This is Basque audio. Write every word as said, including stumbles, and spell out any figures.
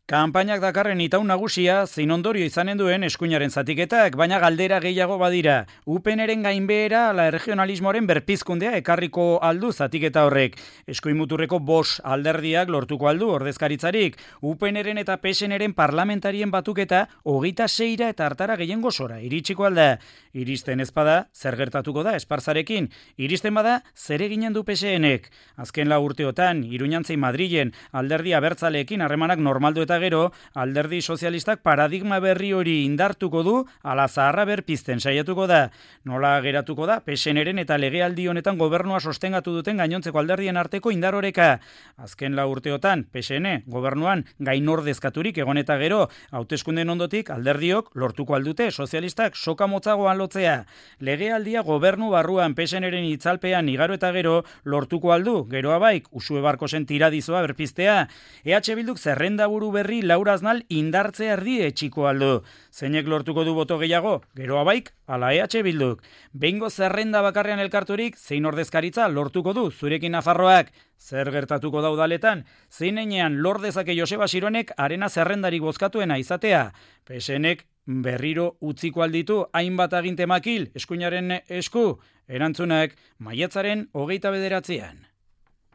Kanpainak dakarren itaun nagusia zein ondorio izanen duen eskuinaren zatiketak, baina galdera gehiago badira. UPNren gainbehera ala erregionalismoaren berpizkundea ekarriko aldu zatiketa horrek. Eskuin-muturreko bos alderdiak lortuko aldu ordezkaritzarik. UPNren eta PSNren parlamentarien batuketa hogeita seira eta hartara gehiengo sora iritsiko alda. Iristen ezpada, zer gertatuko da Esparzarekin? Iristen bada, zer eginen du PSNek? Azken lau urteotan, Iruñantzei Madrilen alderdi abertzaleekin harremanak normaldu eta gero, alderdi sozialistak paradigma berri hori indartuko du, ala zaharra berpizten saiatuko da. Nola geratuko da, PSNren eta legealdi honetan gobernua sostengatu duten gainontzeko alderdien arteko indaroreka. Azken lau urteotan, PSN gobernuan gainordezkaturik egon eta gero, hauteskunden ondotik alderdiok lortuko aldute sozialistak soka motzagoan lotzea. Legealdia gobernu barruan PSNren itzalpean igaro eta gero lortuko aldu, geroa baik, Usue Barkosen tiradizoa berpiztea. E H Bilduk zerrenda buru berri Laura Aznal indartzea erdi etxiko aldu. Zeinek lortuko du boto gehiago? Geroa baik, ala E H Bilduk. Behingo zerrenda bakarrean elkarturik, zein ordezkaritza lortuko du zurekin Nafarroak. Zer gertatuko da udaletan? Zein enean lor dezake Joseba Sironek arena zerrendarik bozkatuena izatea? PSNek berriro utziko alditu hainbat aginte makil eskuinaren esku? Erantzunak maiatzaren hogeita bederatzean.